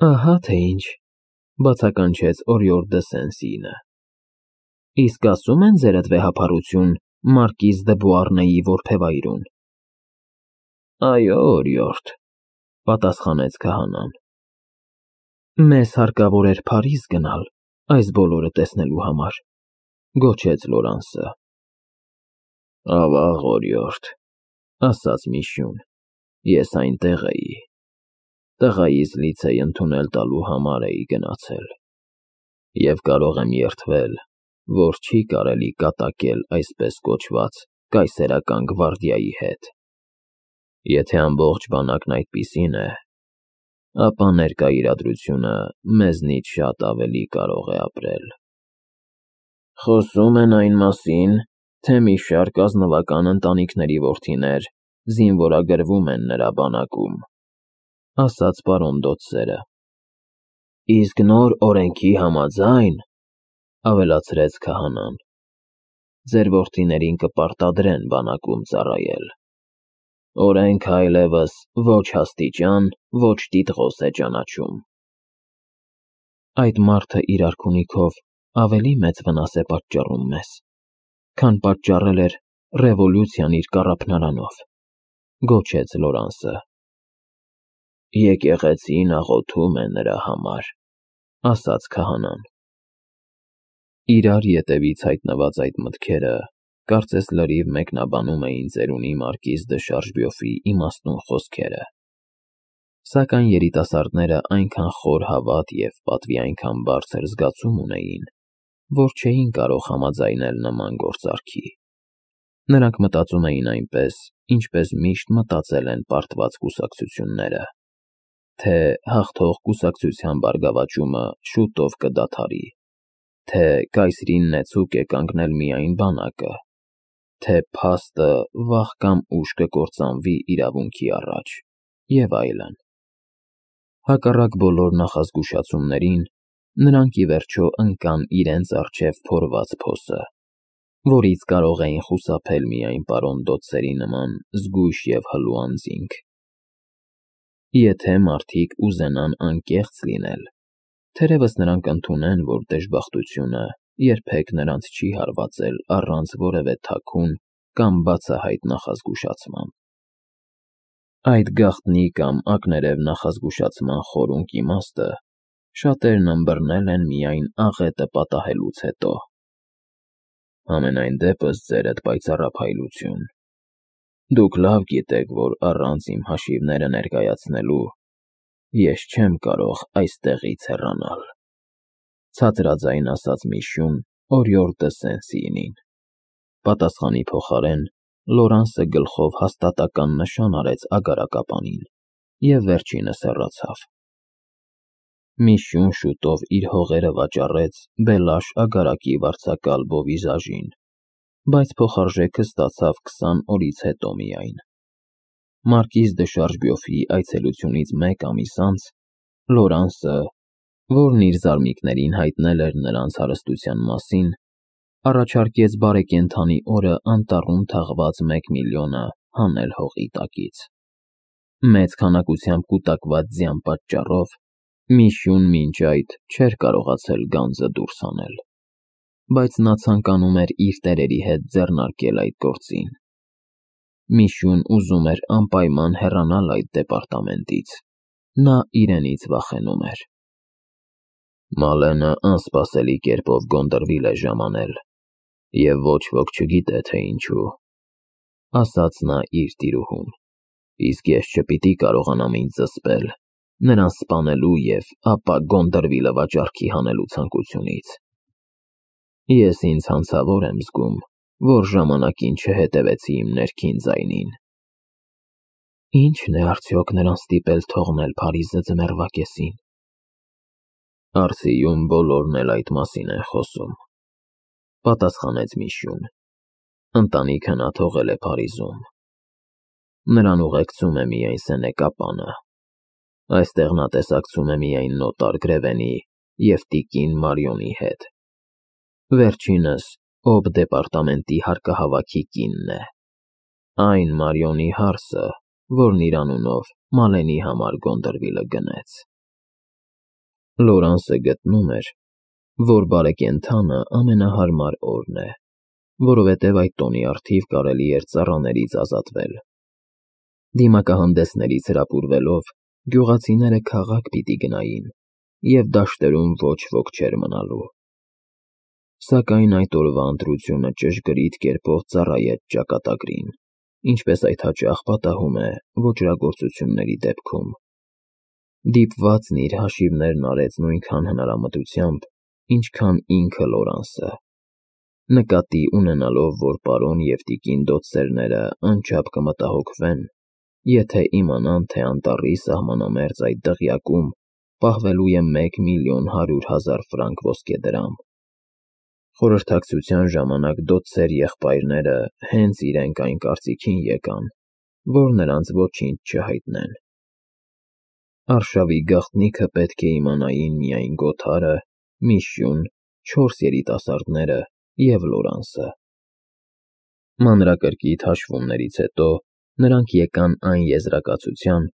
Ահա թե ինչ, բացականչեց օրիորդ դը Սեն-Սինը։ Իսկ ասում են ձերդ վեհափառություն Մարկիզ դը Բուառնեի որբևայրուն։ Այո, օրիորդ, պատասխանեց քահանան։ Մեզ հարկավոր էր Փարիզ գնալ այս բոլորը տեսնելու համար, գոչեց Լորանսը։ Ավաղ, օրիորդ, ասաց Միշյուն, ես այնտեղ էի։ Տղայիս լիցեյ ընդունել տալու համար էի գնացել։ Եվ կարող եմ երդվել, որ չի կարելի կատակել այսպես կոչված կայսերական գվարդիայի հետ։ Եթե ամբողջ բանակն այդպիսին է, ապա ներկա իրադրությունը մեզնից շատ ավելի կարող է ապրել։ Խոսում են այն մասին, թե մի շարք ազնվական ընտանիքների որդիներ զինվորագրվում են նրա բանակում, ասաց պարոն Դոցերը։ Իսկ նոր օրենքի համաձայն, ավելացրեց քահանան, ձեր որդիներին կպարտադրեն բանակում ծառայել։ Օրենքը այլևս ոչ աստիճան, ոչ տիտղոս է ճանաչում։ Այդ մարդը իր արքունիքով ավելի մեծ վնաս է պատճառում մեզ, քան պատճառել էր ռևոլյուցիան իր կառափնարանով, գոչեց Լորանսը։ Եկեղեցին աղոթում է նրա համար, ասաց քահանան։ Իրար ետևից հայտնված այդ մտքերը կարծես լրիվ մեկնաբանում էին ծերունի Մարկիզ դը Շարժբյոֆի իմաստուն խոսքերը։ Սակայն երիտասարդները այնքան խոր հավատ և պատվի այնքան բարձր զգացում ունեին, որ չէին կարող համաձայնել նման գործարքի։ Նրանք մտածում էին այնպես, ինչպես միշտ մտածել են պարտված կուսակցությունները, թե հաղթող կուսակցության բարգավաճումը շուտով կդադարի, թե կայսրին նեցուկ է կանգնել միայն բանակը, թե փաստը վաղ կամ ուշ կկործանվի իրավունքի առաջ, և այլն։ Հակառակ բոլոր նախազգուշացումներին, նրանք ի վերջո ընկան իրենց առջև փորված փոսը, որից կարող էին խուսափել միայն պարոն Դոցերի նման զգույշ և հլու անձինք։ Եթե մարդիկ ուզենան անկեղծ լինել, թերևս նրանք ընդունեն, որ դժբախտությունը երբեք նրանց չի հարվածել առանց որևէ թաքուն կամ բացահայտ նախազգուշացման։ Այդ գաղտնի կամ ակներև նախազգուշացման խորունկ իմաստը շատերն ըմբռնել են միայն աղետը պատահելուց հետո։ Համենայն դեպս ձերդ պայծառափայլություն, դուք լավ գիտեք, որ առանց իմ հաշիվները ներկայացնելու ես չեմ կարող այստեղից հեռանալ, ցածրաձայն ասաց Միշյուն օրիորդ դը Սեն-Սինին։ Պատասխանի փոխարեն Լորանսը գլխով հաստատական նշան արեց ագարակապանին և վերջինս հեռացավ։ Միշյուն շուտով իր հողերը վաճառեց Բելաշ ագարակի վարձակալ Բովիզաժին, բայց փոխարժեքը ստացավ 20 օրից հետո միայն։ Մարկիզ դը Շարժբյոֆի այցելությունից մեկ ամիս անց Լորանսը, որն իր զարմիկներին հայտնել էր նրանց հարստության մասին, առաջարկեց բարեկենդանի օրը անտառում թաղված 1 միլիոնը հանել հողի տակից։ Մեծ քանակությամբ կուտակված ձյան պատճառով Միշյուն մինչ այդ չէր կարողացել գանձը դուրս հանել, բայց նա ցանկանում էր իր տերերի հետ ձեռնարկել այդ գործին։ Միշյուն ուզում էր անպայման հեռանալ այդ դեպարտամենտից, նա իրենից վախենում էր։ Մալենը անսպասելի կերպով Գոնդրվիլ է ժամանել, և ոչ ոք չգիտե, թե ինչու, ասաց նա իր տիրուհուն, իսկ ես չպիտի կարողանամ ինձ զսպել նրան սպանելու և ապա Գոնդրվիլը վաճառքի հանելու ցանկությունից։ Ես ինձ հանցավոր եմ զգում, որ ժամանակին չհետևեցի իմ ներքին ձայնին։ Ի՞նչն է արդյոք նրան ստիպել թողնել Փարիզը ձմեռվա կեսին։ Արսիում բոլորն էլ այդ մասին են խոսում, պատասխանեց Միշյուն։ Ընտանիքը նա թողել է Փարիզում։ Նրան ուղեկցում է միայն սենեկապանը։ Այստեղ նա տեսակցում է միայն նոտար Գրևենի և տիկին Մարիոնի հետ։ Վերջինս Օբ դեպարտամենտի հարկահավաքի կինն է, այն Մարիոնի հարսը, որն իր անունով Մալենի համար Գոնդրվիլը գնեց։ Լորանսը գտնում էր, որ բարեկենդանը ամենահարմար օրն է, որովհետև այդ տոնի առթիվ կարելի էր ծառաներից ազատվել։ Դիմակահանդեսներից հրապուրվելով, գյուղացիները քաղաք պիտի գնային, և դաշտերում ոչ ոք չէր մնալու։ Սակայն այդ օրվա ընտրությունը ճշգրիտ կերպով ծառայեց ճակատագրին, ինչպես այդ հաճախ պատահում է ոճրագործությունների դեպքում։ Դիպվածն իր հաշիվներն արեց նույնքան հնարամտությամբ, ինչքան ինքը Լորանսը, նկատի ունենալով, որ պարոն և տիկին դոցերները անչափ կմտահոգվեն, եթե իմանան, թե անտառի սահմանամերձ այդ դղյակում պահվելու է 1.100.000 ֆրանկ ոսկեդրամ։ Խորհրդակցության ժամանակ դոցեր եղբայրները հենց իրենք այն կարծիքին եկան, որ նրանց ոչինչ չհայտնեն։ Արշավի գաղտնիքը պետք է իմանային միայն Գոթարը, Միշյուն, 4 երիտասարդները և Լորանսը։ Մանրակրկիտ հաշվումներից հետո նրանք եկան այն եզրակացության,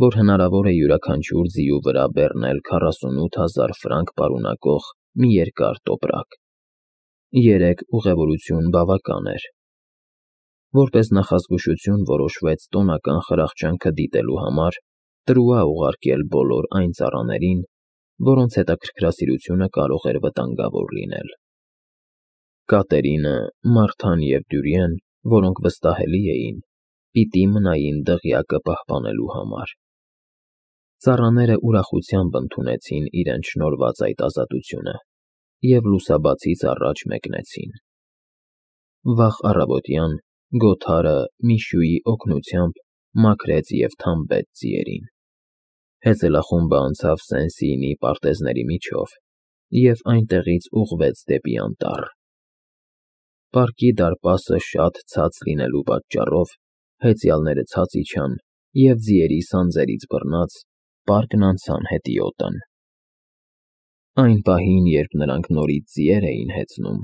որ հնարավոր է յուրաքանչյուր ձիու վրա բեռնել 48.000 ֆրանկ պարունակող մի երկար տոպրակ։ 3 ուղևորություն բավական էր։ Որպես նախազգուշություն որոշվեց տոնական խրախճանքը դիտելու համար տրուա ուղարկել բոլոր այն ծառաներին, որոնց հետաքրքրասիրությունը կարող էր վտանգավոր լինել։ Կատերինը, Մարթան և Դյուրիեն, որոնք վստահելի էին, պիտի մնային դղյակը պահպանելու համար։ Ծառաները ուրախությամբ ընդունեցին իրենց շնորհված այդ ազատությունը և լուսաբացից առաջ մեկնեցին։ Վաղ առավոտյան Գոթարը Միշյուի օգնությամբ մաքրեց և թամբեց ձիերին։ Հեծելախումբը անցավ Սեն-Սիինի պարտեզների միջով և այնտեղից ուղղվեց դեպի անտառ։ Պարկի դարպասը շատ ցած լինելու պատճառով հեծյալները ցած իջան և ձիերի սանձերից բռնած պարկն անցան հետիոտն։ Այն պահին, երբ նրանք նորից ձիեր էին հեծնում,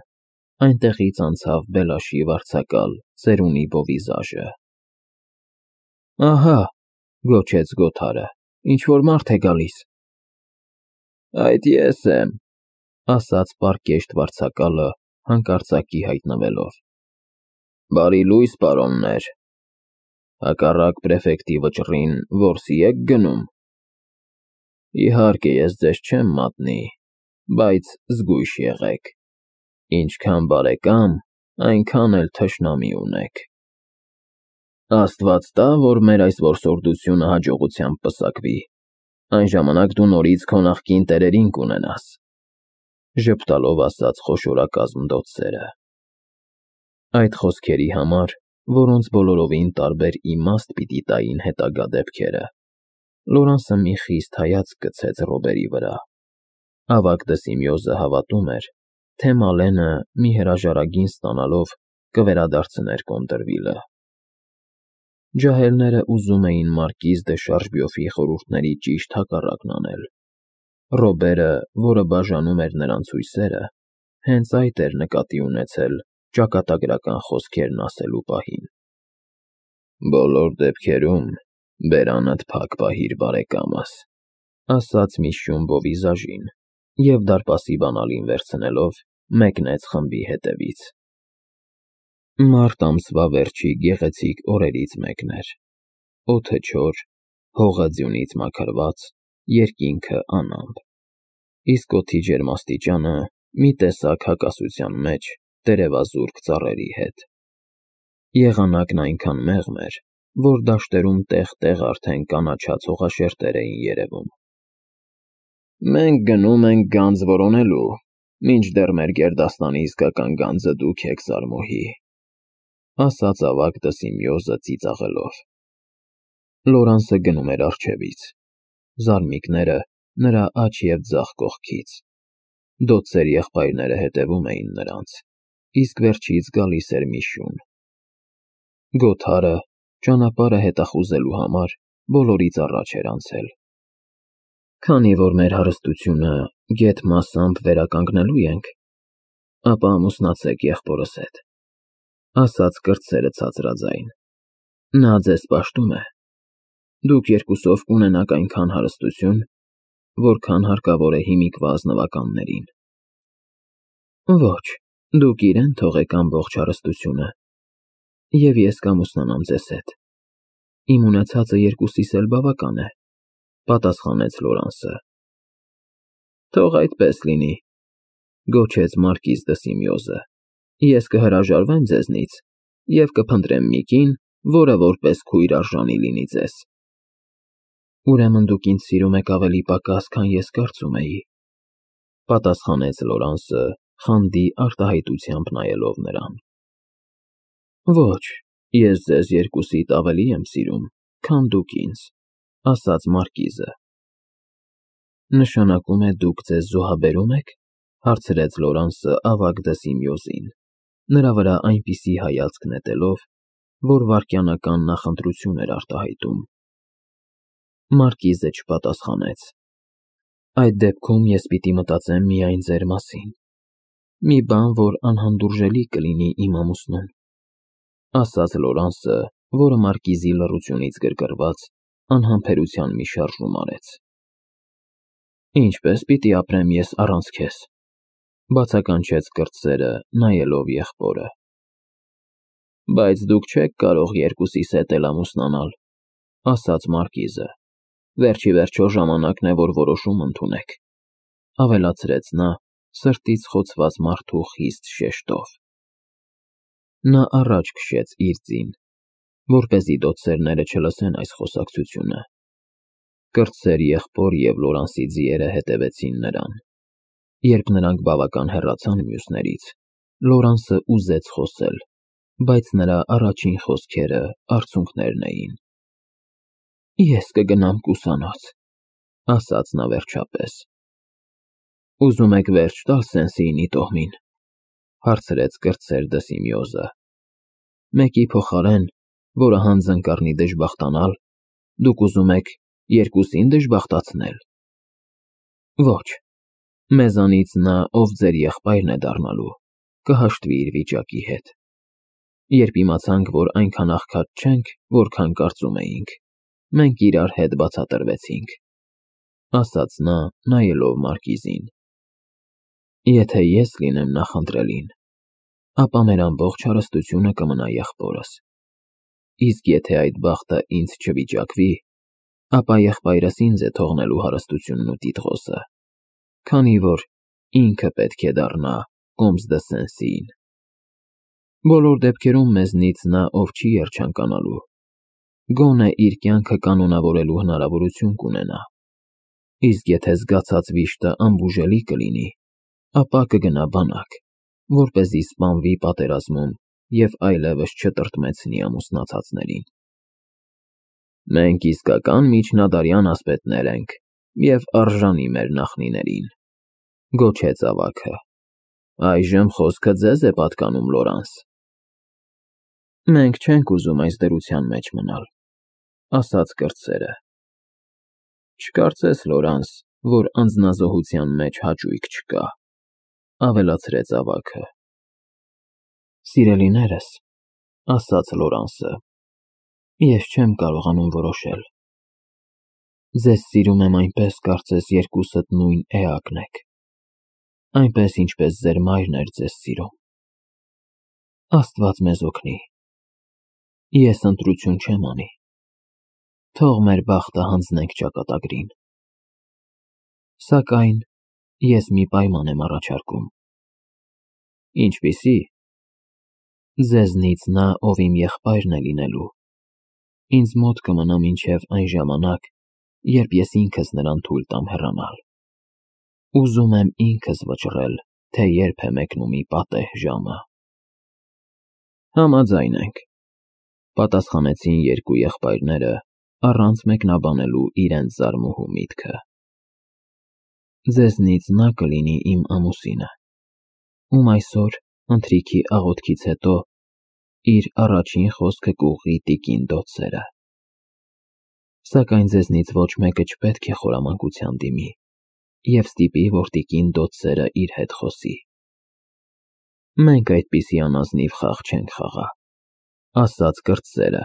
այնտեղից անցավ Բելաշի վարձակալ ծերունի բովիզաժը։ Ահա, գոչեց Գոթարը, ինչ-որ մարդ է գալիս։ Այդ ես եմ, ասաց պարկեշտ վարձակալը հանկարծակի հայտնվելով։ Բարի լույս, պարոններ, հակառակ պրեֆեկտի վճռին որսի եք գնում։ Իհարկե, ես ձեզ չեմ մատնի, բայց զգույշ եղեք, ինչքան բարեկամ, այնքան էլ թշնամի ունեք։ Աստված տա, որ մեր այս որսորդությունը հաջողությամբ պսակվի, այն ժամանակ դու նորից քո նախկին տերերին կունենաս, ժպտալով ասաց խոշորակազմ դոցերը։ Այդ խոսքերի համար, որոնց բոլորովին տարբեր իմաստ պիտի տային հետագա դեպքերը, Լորանսը մի խիստ հայացք գցեց Ռոբերի վրա։ Ավագ Դսիմիոզը հավատում էր, թե Մալենը մի հրաժարագին ստանալով կվերադարձներ Կոնտրվիլը։ Ջահելները ուզում էին մարկիզ դե Շարժբյոֆի խորհուրդների ճիշտ հակառակն անել։ Ռոբերը, որը բաժանում էր նրանց հույսերը, հենց այդ էր նկատի ունեցել ճակատագրական խոսքերն ասելու պահին։ Բոլոր դեպքերում բերանդ փակ պահիր, բարեկամս, ասաց Միշյուն բովիզաժին և դարպասի բանալին վերցնելով մեկնեց խմբի հետևից։ Մարտ ամսվա վերջի գեղեցիկ օրերից մեկն էր։ Օդը չոր, հողը ձյունից մաքրված, երկինքը անամպ, իսկ օդի ջերմաստիճանը մի տեսակ հակասության մեջ տերևազուրկ ծառերի հետ։ Եղանակն այնքան մեղմ էր, որ դաշտերում տեղ-տեղ արդեն կանաչած հողաշերտեր էին երևում։ Մենք գնում ենք գանձ որոնելու, մինչդեռ մեր գերդաստանի իսկական գանձը դուք եք, Սարմոհի, ասաց ավագ Դսիմիոզը ծիծաղելով։ Լորանսը գնում էր առջևից, զարմիկները նրա աջ և ձախ կողքից։ Դոցեր եղբայրները հետևում էին նրանց, իսկ վերջից գալիս էր Միշյուն։ Գոթարը, ճանապարհը հետախուզելու համար, բոլորից առաջ էր անցել։ Քանի որ մեր հարստությունը գեթ մասամբ վերականգնելու ենք, ապա ամուսնացեք եղբորս հետ, ասաց կրտսերը ցածրաձայն։ Նա ձեզ պաշտում է։ Դուք երկուսով կունենաք այնքան հարստություն, որքան հարկավոր է հիմիկվա ազնվականներին։ Ոչ, դուք իրեն թողեք ամբողջ հարստությունը, և ես կամուսնանամ ձեզ հետ։ Իմ ունեցածը երկուսիս էլ բավական է, պատասխանեց Լորանսը։ Թող այդպես լինի, գոչեց մարկիզ դը Սիմեոզը։ Ես կհրաժարվեմ ձեզնից և կփնտրեմ մի կին, որը որպես քույր արժանի լինի ձեզ։ Ուրեմն դուք ինձ սիրում եք ավելի պակաս, քան ես կարծում էի, պատասխանեց Լորանսը, խանդի արտահայտությամբ նայելով նրան։ Ոչ, ես ձեզ երկուսիդ ավելի եմ սիրում, քան դուք ինձ, ասաց մարկիզը։ Նշանակում է դուք ձեզ զոհաբերում եք, հարցրեց Լորանսը ավագ դը Սիմեոզին, նրա վրա այնպիսի հայացք նետելով, որ վայրկենական նախընտրություն էր արտահայտում։ Մարկիզը չպատասխանեց։ Այդ դեպքում ես պիտի մտածեմ միայն ձեր մասին։ Մի բան, որ անհանդուրժելի կլինի իմ ամուսնուն, ասաց Լորանսը, որը մարկիզի լռությունից գրգռված անհամբերության մի շարժում արեց։ Ինչպես պիտի ապրեմ ես առանց քեզ, բացականչեց կրտսերը, նայելով եղբորը։ Բայց դուք չեք կարող երկուսիս հետ էլ ամուսնանալ, ասաց մարկիզը։ Վերջ ի վերջո ժամանակն է, որ որոշում ընդունեք, ավելացրեց նա, սրտից խոցված մարդու խիստ շեշտով։ Նա առաջ քշեց իր ձին, որպեսզի դոցերները չլսեն այս խոսակցությունը։ Կրտսեր եղբոր և Լորանսի ձիերը հետևեցին նրան։ Երբ նրանք բավական հեռացան մյուսներից, Լորանսը ուզեց խոսել, բայց նրա առաջին խոսքերը արցունքներն էին։ Ես կգնամ կուսանոց, ասաց նա վերջապես։ Ուզում եք վերջ տալ Սեն-Սիինի տոհմին, հարցրեց կրտսեր դը Սիմեոզը։ Մեկի փոխարեն, որը հանձն կառնի դժբախտանալ, դուք ուզում եք երկուսին դժբախտացնել։ Ոչ, մեզանից նա, ով ձեր եղբայրն է դառնալու, կհաշտվի իր վիճակի հետ։ Երբ իմացանք, որ այնքան աղքատ չենք, որքան կարծում էինք, մենք իրար հետ բացատրվեցինք, ասաց նա, նայելով մարկիզին։ Եթե ես լինեմ նախընտրելին, ապա մեր ամբողջ հարստությունը կմնա եղբորս։ Իսկ եթե այդ բախտը ինձ չվիճակվի, ապա եղբայրս ինձ է թողնելու հարստությունն ու տիտղոսը, քանի որ ինքը պետք է դառնա կոմս դը Սեն-Սիին։ Բոլոր դեպքերում մեզնից նա, ով չի երջանկանալու, գոնե իր կյանքը կանոնավորելու հնարավորություն կունենա։ Իսկ եթե զգացած վիշտը անբուժելի կլինի, ապա կգնա բանակ, որպեսզի սպանվի պատերազմում և այլևս չտրտմեցնի ամուսնացածներին։ Մենք իսկական միջնադարյան ասպետներ ենք և արժանի մեր նախնիներին, գոչեց ավագը։ Այժմ խոսքը ձեզ է պատկանում, Լորանս։ Մենք չենք ուզում այս դրության մեջ մնալ, ասաց կրտսերը։ Չկարծես, Լորանս, որ անձնազոհության մեջ հաճույք չկա, ավելացրեց ավագը։ Սիրելիներս, ասաց Լորանսը, ես չեմ կարողանում որոշել։ Ձեզ սիրում եմ այնպես, կարծես երկուսդ նույն էակն եք, այնպես, ինչպես ձեր մայրն էր ձեզ սիրում։ Աստված մեզ օգնի։ Ես ընտրություն չեմ անի։ Թող մեր բախտը հանձնենք ճակատագրին։ Սակայն ես մի պայման եմ առաջարկում։ Ինչպիսի՞։ Ձեզնից նա, ով իմ եղբայրն է լինելու, ինձ մոտ կմնա մինչև այն ժամանակ, երբ ես ինքս նրան թույլ տամ հեռանալ։ Ուզում եմ ինքս վճռել, թե երբ է մեկնումի պատեհ ժամը։ Համաձայն ենք, պատասխանեցին երկու եղբայրները, առանց մեկնաբանելու իրենց զարմուհու միտքը։ Ձեզնից նա կլինի իմ ամուսինը, ում այսօր ընթրիքի աղոթքից հետո իր առաջին խոսքը կուղղի տիկին դոցերը։ Սակայն ձեզնից ոչ մեկը չպետք է խորամանկության դիմի և ստիպի, որ տիկին դոցերը իր հետ խոսի։ Մենք այդպիսի անազնիվ խաղ չենք խաղա, ասաց կրտսերը։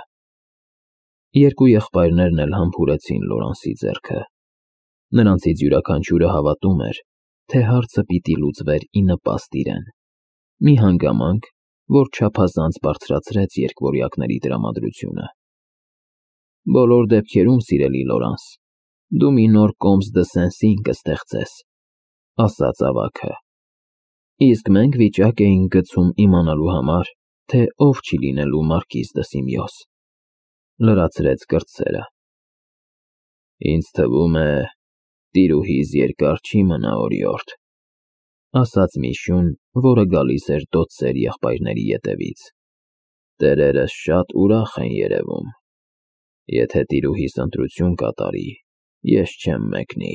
Երկու եղբայրներն էլ համբուրեցին Լորանսի ձեռքը։ Նրանցից յուրաքանչյուրը հավատում էր, թե հարցը պիտի լուծվեր ի նպաստ իրեն։ Մի հանգամանք, որ չափազանց բարձրացրեց երկվորյակների տրամադրությունը։ Բոլոր դեպքերում, սիրելի Լորանս, դու մի նոր Կոմս դը Սեն-Սին կստեղծես, ասաց ավագը։ Իսկ մենք վիճակ էինք գցում իմանալու համար, թե ով չի լինելու մարկիզ դը Սիմիոս, լրացրեց կրտսերը։ Ինձ թվում է, տիրուհիս երկար չի մնա օրիորդ, ասաց Միշուն, որը գալիս էր դոցեր եղբայրների ետևից։ Տերերս շատ ուրախ են երևում։ Եթե տիրուհիս ընտրություն կատարի, ես չեմ մեկնի։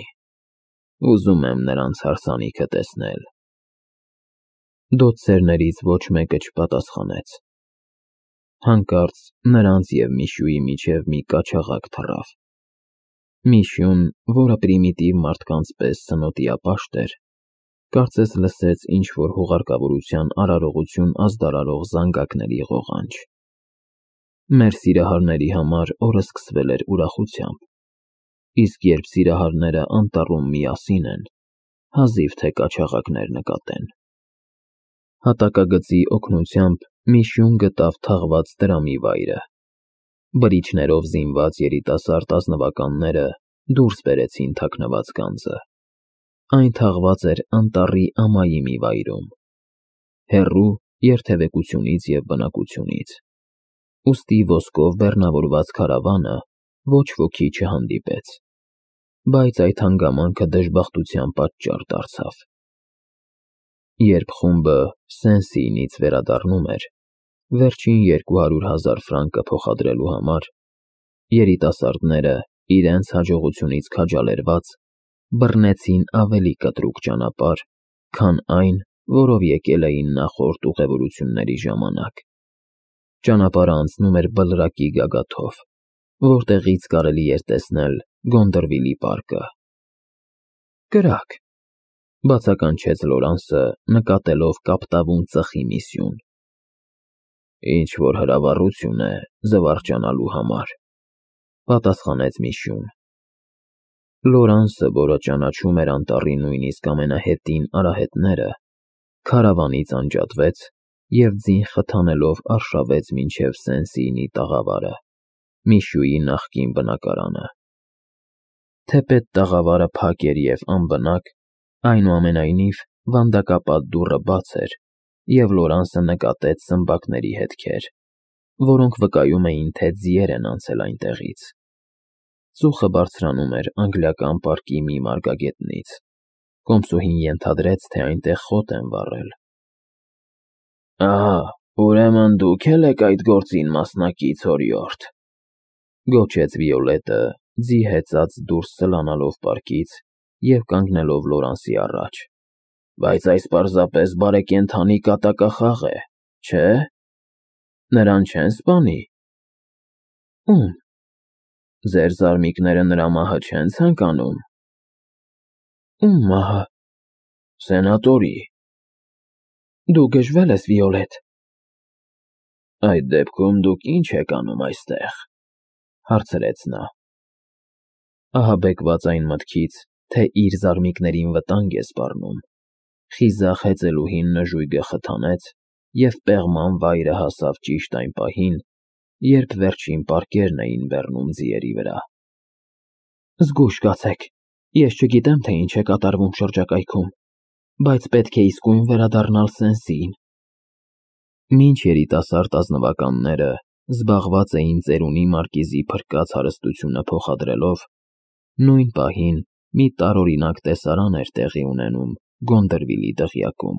Ուզում եմ նրանց հարսանիքը տեսնել։ Դոցերներից ոչ մեկը չպատասխանեց։ Հանկարծ նրանց և Միշուի միջև մի կաչաղակ թռավ։ Միշուն, որը պրիմիտիվ մարդկանց պես սնոտիապաշտ էր, կարծես լսեց ինչ-որ հուղարկավորության արարողություն ազդարարող զանգակների ղողանջ։ Մեր սիրահարների համար օրը սկսվել էր ուրախությամբ, իսկ երբ սիրահարները անտառում միասին են, հազիվ թե կաչաղակներ նկատեն։ Հատակագծի օգնությամբ Միշուն գտավ թաղված տրամի վայրը։ Բրիչներով զինված երիտասարդ ազնվականները դուրս բերեցին թաքնված գանձը։ Այն թաղված էր անտառի ամայի մի վայրում, հեռու երթևեկությունից և բնակությունից, ուստի ոսկով բեռնավորված քարավանը ոչ ոքի չհանդիպեց, բայց այդ հանգամանքը դժբախտության պատճառ դարձավ։ Երբ խումբը Սեն-Սիինից վերադառնում էր, վերջին 200,000 ֆրանկը փոխադրելու համար, երիտասարդները, իրենց հաջողությունից քաջալերված, բռնեցին ավելի կտրուկ ճանապարհ, քան այն, որով եկել էին նախորդ ուղևորությունների ժամանակ։ Ճանապարհը անցնում էր բլրակի գագաթով, որտեղից կարելի էր տեսնել Գոնդրվիլի պարկը։ Կրակ, բացականչեց Լորանսը, նկատելով կապտավուն ծխի Միսյուն։ Ինչ-որ հրավառություն է զվարճանալու համար, պատասխանեց Միշուն։ Լորանսը, որը ճանաչում էր անտառի նույնիսկ ամենահետին արահետները, քարավանից անջատվեց և ձին խթանելով արշավեց մինչև Սեն-Սիինի տաղավարը, Միշուի նախկին բնակարանը։ Թեպետ տաղավարը փակ էր և անբնակ, այնուամենայնիվ վանդակապատ դուռը բաց էր, և Լորանսը նկատեց սմբակների հետքեր, որոնք վկայում էին, թե ձիեր են անցել այնտեղից։ Ծուխը բարձրանում էր անգլիական պարկի մի մարգագետնից։ Կոմսուհին ենթադրեց, թե այնտեղ խոտ են վառել։ Ահա, ուրեմն դուք էլ եք այդ գործին մասնակից, օրիորդ, գոչեց Վիոլետը, ձի հեծած դուրս սլանալով պարկից և կանգնելով Լորանսի առաջ։ Բայց այս պարզապես բարեկենդանի կատակախաղ է, չէ՞։ Նրան չեն սպանի։ Ո՞ւմ։ Ձեր զարմիկները նրա մահը չեն ցանկանում։ Ո՞ւմ մահը։ Սենատորի։ Դու գժվել ես, Վիոլետ։ Այդ դեպքում դուք ինչ եք անում այստեղ, հարցրեց նա։ Ահաբեկված այն մտքից, թե իր զարմիկներին վտանգ է սպառնում, խիզախ հեծելուհին նժույգը խթանեց և պեղման վայրը հասավ ճիշտ այն պահին, երբ վերջին պարկերն էին բեռնում ձիերի վրա։ Զգույշ կացեք, ես չգիտեմ, թե ինչ է կատարվում շրջակայքում, բայց պետք է իսկույն վերադառնալ Սեն-Սիին։ Մինչ երիտասարդ ազնվականները զբաղված էին ծերունի մարկիզի փրկած հարստությունը փոխադրելով, նույն պահին մի տարօրինակ տեսարան էր տեղի ունենում Գոնդրվիլի դղյակում։